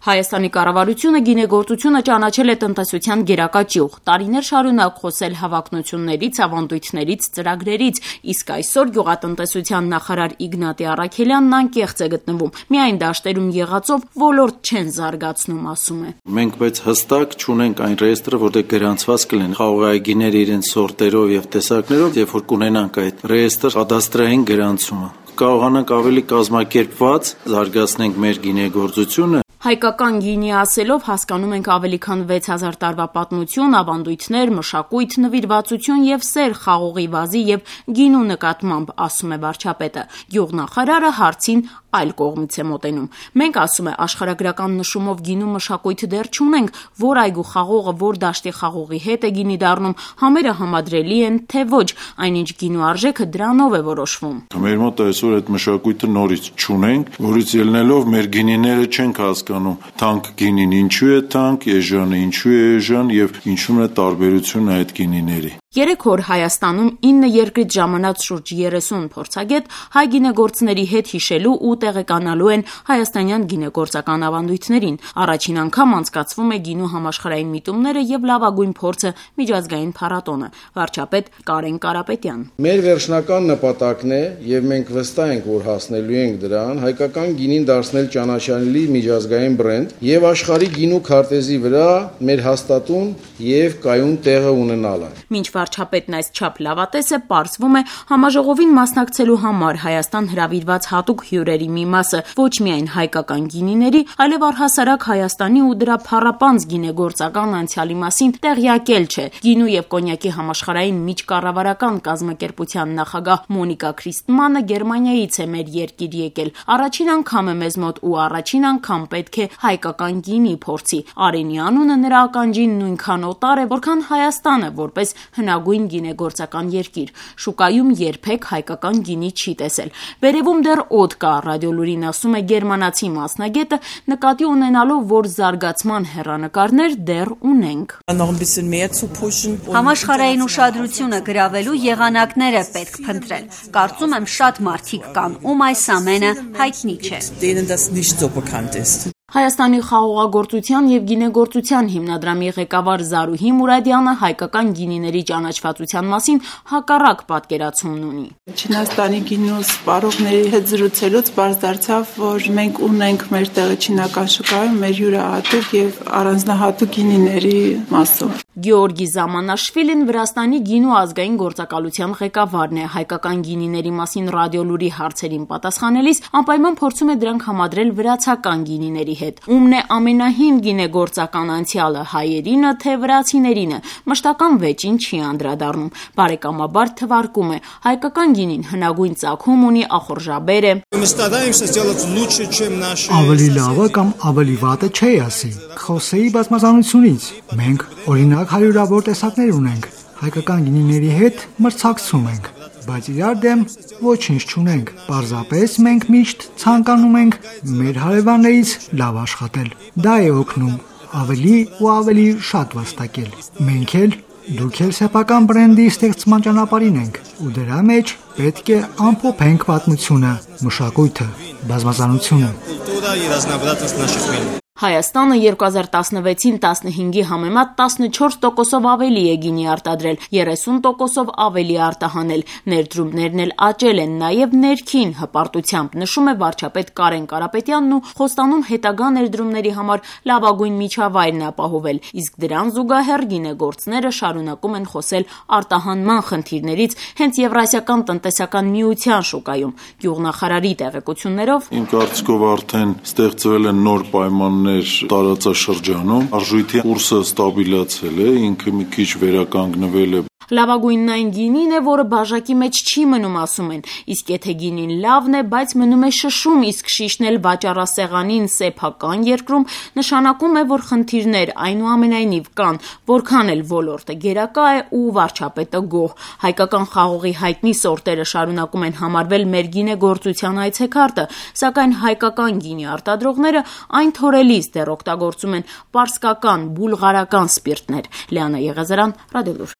Հայաստանի կառավարությունը գինեգործությունը ճանաչել է տնտեսության գերակա ճյուղ, տարիներ շարունակ խոսել հավակնություններից, ավանդույթներից, ծրագրերից, իսկ այսօր գյուղատնտեսության նախարար Իգնատի Առաքելյանն անկեղծ է գտնվում, միայն դաշտերում եղածով ոլորտ չեն զարգացնում, ասում է. Մենք բայց հստակ չունենք այն ռեեստրը, որտեղ գրանցված կլինեն խաղողայգիները իրենց սորտերով եւ տեսակներով, երբ որ կունենանք այդ ռեեստրը, կադաստրային գրանցումը, կարողանանք ավելի կազմակերպված զարգացնենք մեր գինեգործությունը. Հայկական գինի ասելով հասկանում ենք ավելի քան 6000 տարվա պատմություն, ավանդույթներ, մշակույթ, նվիրվածություն եւ սեր խաղողի վազի եւ գինու նկատմամբ, ասում է վարչապետը. Գյուղնախարարը հարցին այլ կողմից է մոտենում. Մենք, ասում է, աշխարհագրական նշումով գինու մշակույթ դեռ չունենք, որ այգու խաղողը, որ դաշտի խաղողի հետ է գինի դառնում, համերը համադրելի են, թե ոչ, այնինչ գինու արժեքը դրանով է որոշվում. Մեր մոտ այսօր այդ մշակույթը նորից չունենք, որից ելնելով մեր գինիները չենք հասկանում, թանկ գինին ինչու է թանկ, էժանը ինչու է էժան եւ ինչու է տարբերությունը այդ գինիների. 3 օր Հայաստանում 9 երկրից ժամանած շուրջ 30 փորձագետ հայ գինեգործների հետ հիշելու ու տեղեկանալու են հայաստանյան գինեգործական ավանդույթներին. Առաջին անգամ անցկացվում է գինու համաշխարհային միտումները եւ լավագույն փորձը միջազգային փառատոնը. Վարչապետ Կարեն Կարապետյան. Մեր վերջնական նպատակն է եւ մենք վստահ ենք, որ հասնելու ենք դրան, հայկական գինին դարձնել ճանաչելի միջազգային բրենդ եւ աշխարհի գինու քարտեզի վրա մեր հաստատուն եւ կայուն տեղը ունենալը. Մինչ վարչապետն այս չափ լավատես է, պարզվում է համաժողովին մասնակցելու համար Հայաստան հրավիրված հատուկ հյուրերի մի մասը ոչ միայն հայկական գինիների, այլև առհասարակ Հայաստանի ու դրա փառապանծ գինեգործական անցյալի մասին տեղյակել չէ. Գինու եւ կոնյակի համաշխարհային միջկառավարական կազմակերպության նախագահ Մոնիկա Քրիստմանը Գերմանիայից է մեր երկիր եկել. Առաջին անգամ է մեզ մոտ ու առաջին անգամ պետք է հայկական գինի փորձի. Արենի անունը նրա ականջին նույնքան օտար է, որքան Հայաստանը, որպես հնագույն գինեգործական երկիր. շուկայում երբեք հայկական գինի չի տեսել. Վերևում դեռ օդ կա, ռադիոլուրին ասում է գերմանացի մասնագետը, նկատի ունենալով, որ զարգացման հեռանկարներ դեռ ունենք. Համաշխարհային ուշադրությունը գրավելու եղանակներ է պետք փնտրել. Կարծում եմ շատ մարդիկ կան, ում այս ամենը հայտնի չէ. Հայաստանի խաղողագործության եւ գինեգործության հիմնադրամի ղեկավար Զարուհի Մուրադյանը հայկական գինիների ճանաչվածության մասին հակառակ պատկերացումն ունի. Չինաստանի գինու սպառողների հետ զրուցելուց պարզ դարձավ, որ մենք ունենք մեր տեղը չինական շուկայում մեր յուրահատուկ եւ առանձնահատուկ գինիների մասով. Գեորգի Զամանաշվիլին Վրաստանի գինու ազգային գործակալության ղեկավարն է. Հայկական գինիների մասին ռադիոլուրի հարցերին պատասխանելիս անպայման փորձում է դրանք համադրել վրացական գինիների հետ. Ումն է ամենահին գինեգործական անցյալը, հայերինը թե վրացիներինը, մշտական վեճին չի անդրադառնում. բարեկամաբար թվարկում է. հայկական գինին հնագույն ծագում ունի, ախորժաբեր է. Ավելի լավը կամ ավելի վատը չի ասի. Խոսեի բազմազանությունից. Մենք օրինակ հարյուրավոր տեսակներ ունենք, հայկական գինիների հետ մրցակցում ենք, բայց իրար դեմ ոչինչ չունենք. Պարզապես մենք միշտ ցանկանում ենք մեր հարևաններից լավ աշխատել. Դա է օգնում ավելի ու ավելի շատ վաստակել. Մենք էլ դուք էլ սեփական բրենդի ստեղծման ճանապարհին ենք ու դրա մեջ պետք է ամփոփենք պատմությունը, մշակույթը, բազմազանությունը. Հայաստանը 2016-ին 15-ի համեմատ 14%-ով ավելի է գինի արտադրել, 30%-ով ավելի արտահանել, ներդրումներն էլ աճել են, նաև ներքին հպարտությամբ, նշում է վարչապետ Կարեն Կարապետյանն ու խոստանում հետագա ներդրումների համար լավագույն միջավայրն ապահովել, իսկ դրան զուգահեռ գինեգործները շարունակում են խոսել արտահանման խնդիրներից հենց Եվրասիական տնտեսական միության շուկայում. Գյուղնախարարի տեղեկություններով Իմ կարծիքով արդեն ստեղծվել են նոր պայմաններ տարածաշրջանում, արժույթի կուրսը ստաբիլացել է, ինքը մի քիչ վերականգնվել է. Լավագույնն այն գինին է, որը բաժակի մեջ չի մնում, ասում են, իսկ եթե գինին լավն է, բայց մնում է շշում, իսկ շիշն էլ վաճառասեղանին սեփական երկրում, նշանակում է, որ խնդիրներ այնուամենայնիվ կան, որքան էլ ոլորտը գերակա է ու վարչապետը գոհ. հայկական խաղողի հայտնի սորտերը շարունակում են համարվել մեր գինեգործության այցեքարտը, սակայն հայկական գինի արտադրողները այն թորելիս դեռ օգտագործում են պարսկական, բուլղարական սպիրտներ. Լիանա Եղեզարյան, Ռադիոլուր.